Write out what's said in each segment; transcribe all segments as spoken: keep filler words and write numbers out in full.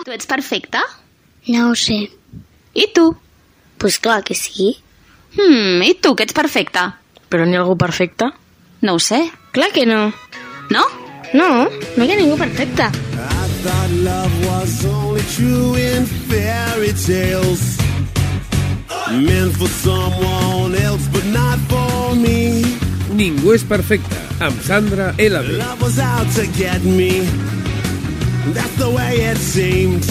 Tu ets perfecte? No ho sé. I tu? Pues clar que sí. Hmm, i tu, que ets perfecte? Però n'hi ha algú perfecte? No ho sé. Clar que no. No? No, no hi ha ningú perfecte. I thought love was only true in fairy tales, meant for someone else but not for me. Ningú és perfecte, amb Sandra L B. Love was out to get me. That's the way it seemed.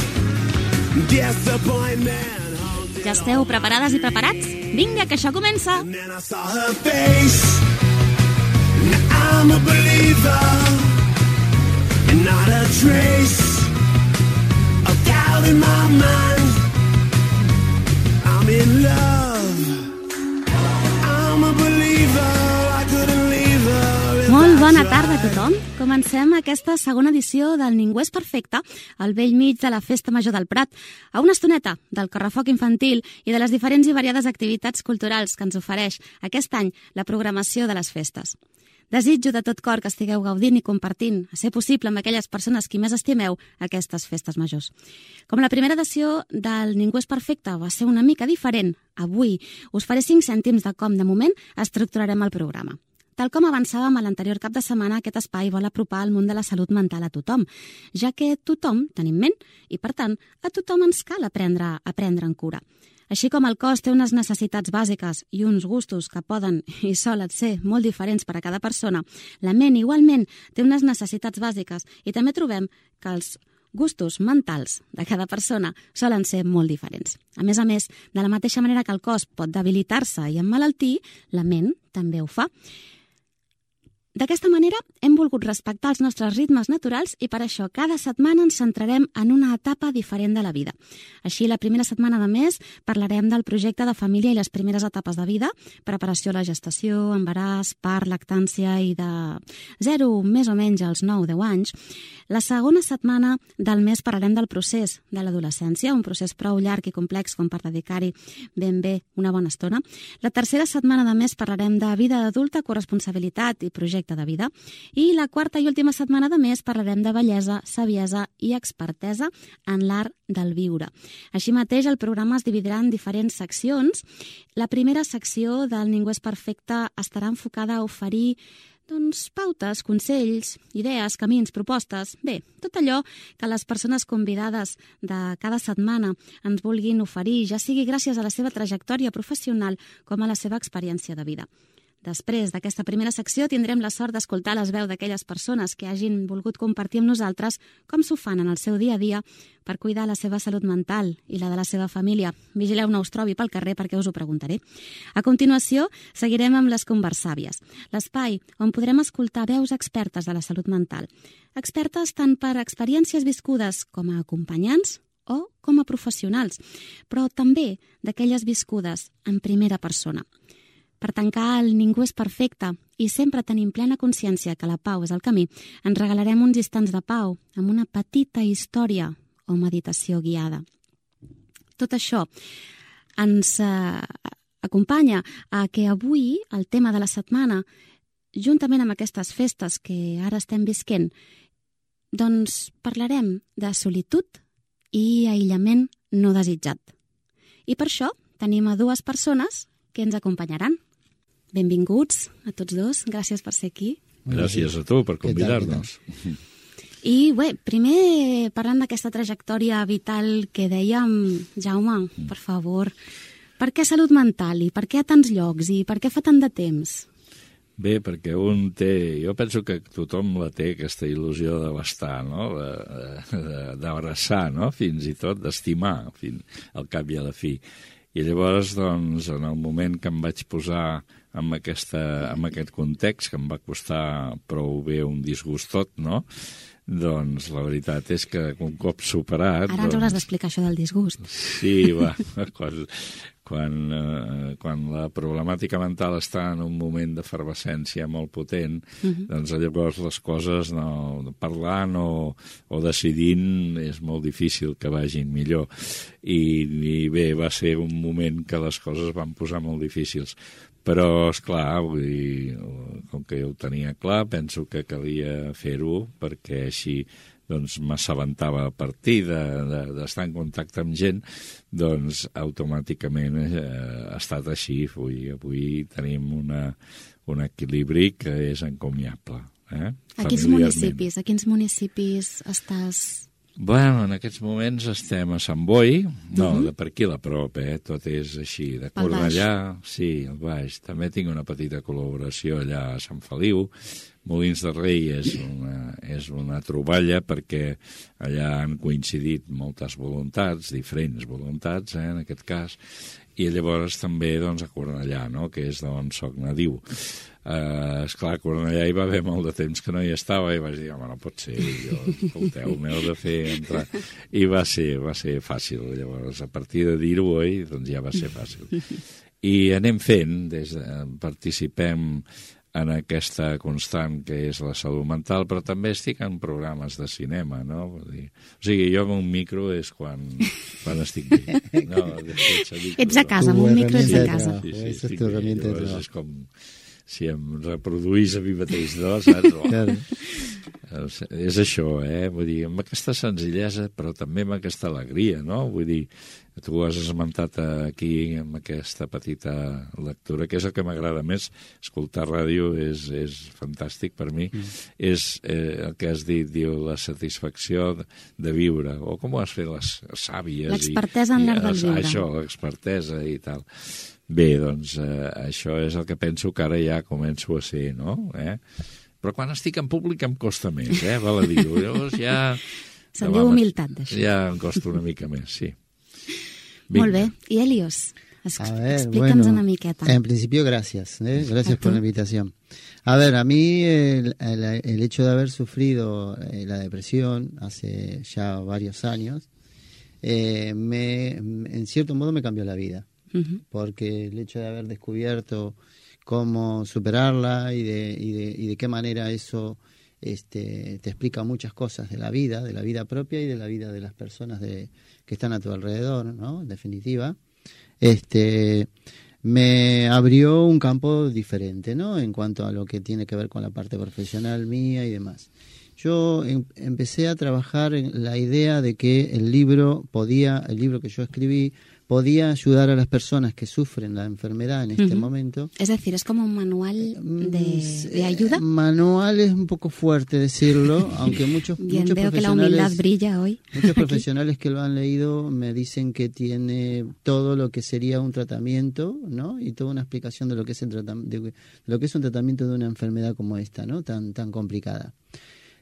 Disappointment. Ja esteu preparades i preparats? Vinga, que això comença! And then I saw her face. Now I'm a believer, and not a trace of doubt in my mind. I'm in love. I'm a believer. I couldn't leave her. Molt bona tarda a tothom. Comencem aquesta segona edició del Ningú és perfecte, al vell mig de la Festa Major del Prat, a una estoneta del correfoc infantil i de les diferents i variades activitats culturals que ens ofereix aquest any la programació de les festes. Desitjo de tot cor que estigueu gaudint i compartint, a ser possible amb aquelles persones qui més estimeu, aquestes festes majors. Com la primera edició del Ningú és perfecte va ser una mica diferent, avui us faré cinc cèntims de com, de moment, estructurarem el programa. Tal com avançàvem a l'anterior cap de setmana, aquest espai vol apropar el món de la salut mental a tothom, ja que tothom tenim ment i, per tant, a tothom ens cal aprendre a prendre en cura. Així com el cos té unes necessitats bàsiques i uns gustos que poden i solen ser molt diferents per a cada persona, la ment igualment té unes necessitats bàsiques i també trobem que els gustos mentals de cada persona solen ser molt diferents. A més a més, de la mateixa manera que el cos pot debilitar-se i emmalaltir, la ment també ho fa. D'aquesta manera, hem volgut respectar els nostres ritmes naturals i per això cada setmana ens centrarem en una etapa diferent de la vida. Així, la primera setmana de mes parlarem del projecte de família i les primeres etapes de vida, preparació a la gestació, embaràs, part, lactància i de zero més o menys als nou a deu anys. La segona setmana del mes parlarem del procés de l'adolescència, un procés prou llarg i complex com per dedicar-hi ben bé una bona estona. La tercera setmana de mes parlarem de vida adulta, corresponsabilitat i projecte de vida. I la quarta i última setmana de mes parlarem de bellesa, saviesa i expertesa en l'art del viure. Així mateix, el programa es dividirà en diferents seccions. La primera secció del Ningú és perfecte estarà enfocada a oferir doncs, pautes, consells, idees, camins, propostes. Bé, tot allò que les persones convidades de cada setmana ens vulguin oferir, ja sigui gràcies a la seva trajectòria professional com a la seva experiència de vida. Després d'aquesta primera secció tindrem la sort d'escoltar les veus d'aquelles persones que hagin volgut compartir amb nosaltres com s'ho fan en el seu dia a dia per cuidar la seva salut mental i la de la seva família. Vigileu no us trobi pel carrer perquè us ho preguntaré. A continuació, seguirem amb les Conversàvies, l'espai on podrem escoltar veus expertes de la salut mental. Expertes tant per experiències viscudes com a acompanyants o com a professionals, però també d'aquelles viscudes en primera persona. Per tancar el Ningú és perfecte i sempre tenim plena consciència que la pau és el camí, ens regalarem uns instants de pau amb una petita història o meditació guiada. Tot això ens eh, acompanya a que avui el tema de la setmana, juntament amb aquestes festes que ara estem visquent, doncs parlarem de solitud i aïllament no desitjat. I per això tenim a dues persones que ens acompanyaran. Benvinguts a tots dos, gràcies per ser aquí. Gràcies a tu per convidar-nos. I bé, primer parlant d'aquesta trajectòria vital que dèiem, Jaume, per favor, per què salut mental i per què a tants llocs i per què fa tant de temps? Bé, perquè un té... Jo penso que tothom la té, aquesta il·lusió de l'estar, no? D'abraçar, no? Fins i tot d'estimar, al cap i a la fi. I llavors, doncs, en el moment que em vaig posar en, aquesta, en aquest context, que em va costar prou bé un disgust tot, no? Doncs la veritat és que un cop superat... Ara ens doncs... hauràs d'explicar això del disgust. Sí, va, quan, quan, eh, quan la problemàtica mental està en un moment d'efervescència molt potent, uh-huh. doncs llavors les coses, no, parlant o, o decidint, és molt difícil que vagin millor. I, I bé, va ser un moment que les coses van posar molt difícils. Però, esclar, vull dir, com que jo ho tenia clar, penso que calia fer-ho perquè així doncs m'assabentava a partir d'estar de, de, en contacte amb gent, doncs automàticament eh, ha estat així. Avui, avui tenim una, un equilibri que és encomiable. Eh? A quins municipis, a quins municipis estàs... Bueno, en aquests moments estem a Sant Boi, no, uh-huh. de per aquí a la prop, eh? Tot és així, de Cornellà, sí, al baix. També tinc una petita col·laboració allà a Sant Feliu. Molins de Rei és una, és una troballa perquè allà han coincidit moltes voluntats, diferents voluntats, eh, en aquest cas, i llavors també doncs, a Cornellà, no?, que és d'on soc nadiu. Uh, esclar, a Cornellà hi va haver molt de temps que no hi estava i vaig dir, home, no pot ser, jo, escolteu, m'heu de fer entrar. I va ser, va ser fàcil, llavors, a partir de dir-ho, oi, doncs ja va ser fàcil. I anem fent, des de, participem en aquesta constant que és la salut mental, però també estic en programes de cinema, no? Vull dir, o sigui, jo amb un micro és quan, quan estic bé. No, ets a casa, amb un micro ets a casa. Sí, sí, sí, estic bé. Llavors és com si em reproduís a mi mateix, no? Saps? Claro. És això, eh? Vull dir, amb aquesta senzillesa, però també amb aquesta alegria, no? Vull dir, tu ho has esmentat aquí amb aquesta petita lectura, que és el que m'agrada més. Escoltar ràdio és, és fantàstic per mi. Mm. És eh, el que has dit, diu, la satisfacció de, de viure, o com ho has fet les sàvies. L'expertesa en l'art del viure. Això, l'expertesa i tal. Bé, doncs, eh, això és el que penso que ara ja començo a ser, no? Eh? Però quan estic en públic em costa més, eh? Val a dir-ho. Llavors ja... Se'n diu humilitat, d'això. Ja em costa una mica més, sí. Vinga. Molt bé. I Helios, es, explica'ns bueno, una miqueta. En principio, gracias. ¿eh? Gracias por la invitación. A ver, a mí el, el, el hecho de haber sufrido eh, la depresión hace ya varios años, eh, me, en cierto modo me cambió la vida. Uh-huh. Porque el hecho de haber descubierto cómo superarla y de, y de, y de qué manera eso este, te explica muchas cosas de la vida, de la vida propia y de la vida de las personas de, que están a tu alrededor, ¿no? En definitiva, este, me abrió un campo diferente, ¿no? En cuanto a lo que tiene que ver con la parte profesional mía y demás. Yo em, empecé a trabajar en la idea de que el libro podía, el libro que yo escribí, podía ayudar a las personas que sufren la enfermedad en este uh-huh. momento. Es decir, ¿es como un manual de, de ayuda? Manual es un poco fuerte decirlo, aunque muchos, Bien, muchos veo que la humildad brilla hoy. Muchos profesionales que lo han leído me dicen que tiene todo lo que sería un tratamiento, ¿no? Y toda una explicación de lo que es el tratamiento, de lo que es un tratamiento de una enfermedad como esta, ¿no? Tan, tan complicada.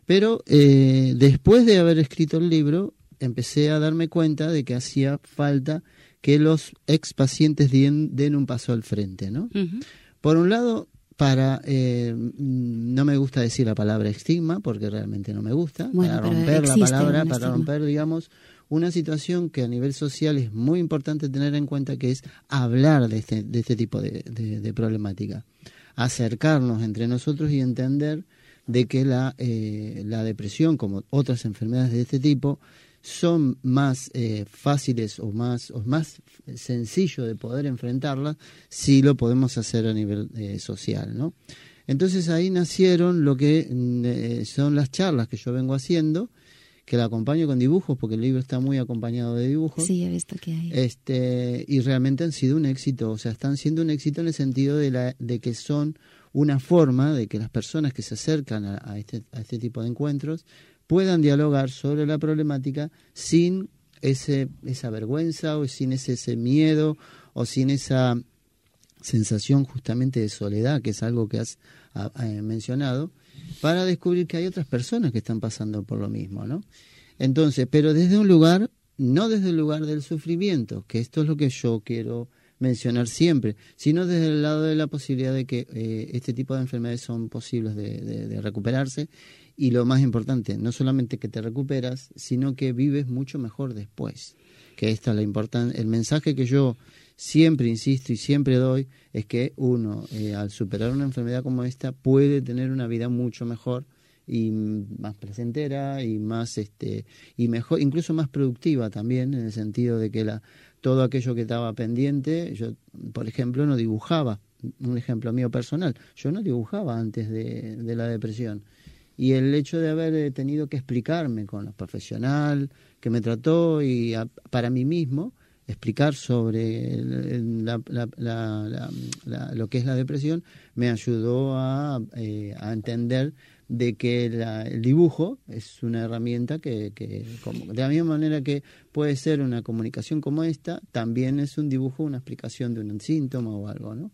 Pero eh, después de haber escrito el libro, empecé a darme cuenta de que hacía falta que los ex pacientes den, den un paso al frente, ¿no? Uh-huh. Por un lado, para eh, no me gusta decir la palabra estigma, porque realmente no me gusta, bueno, para romper la palabra, para estigma. romper, digamos, una situación que a nivel social es muy importante tener en cuenta, que es hablar de este, de este tipo de, de, de problemática, acercarnos entre nosotros y entender de que la, eh, la depresión, como otras enfermedades de este tipo, son más eh, fáciles o más, o más sencillo de poder enfrentarlas si lo podemos hacer a nivel eh, social, ¿no? Entonces ahí nacieron lo que eh, son las charlas que yo vengo haciendo, que la acompaño con dibujos, porque el libro está muy acompañado de dibujos. Sí, he visto que hay. Este, y realmente han sido un éxito, o sea, están siendo un éxito en el sentido de, la, de que son una forma de que las personas que se acercan a, a, este, a este tipo de encuentros puedan dialogar sobre la problemática sin ese, esa vergüenza o sin ese, ese miedo o sin esa sensación justamente de soledad, que es algo que has a, a, mencionado, para descubrir que hay otras personas que están pasando por lo mismo, ¿no? Entonces, pero desde un lugar, no desde el lugar del sufrimiento, que esto es lo que yo quiero mencionar siempre, sino desde el lado de la posibilidad de que eh, este tipo de enfermedades son posibles de, de, de recuperarse. Y lo más importante, no solamente que te recuperas, sino que vives mucho mejor después. Que esta es la importancia. El mensaje que yo siempre insisto y siempre doy es que uno, eh, al superar una enfermedad como esta, puede tener una vida mucho mejor y más placentera y más, este, y mejor, incluso más productiva también, en el sentido de que la, todo aquello que estaba pendiente, yo, por ejemplo, no dibujaba. Un ejemplo mío personal, yo no dibujaba antes de, de la depresión. y el hecho de haber tenido que explicarme con la profesional que me trató y a, para mí mismo, explicar sobre el, la, la, la, la, la, lo que es la depresión, me ayudó a, eh, a entender de que la, el dibujo es una herramienta que, que como, de la misma manera que puede ser una comunicación como esta, también es un dibujo, una explicación de un síntoma o algo, ¿no?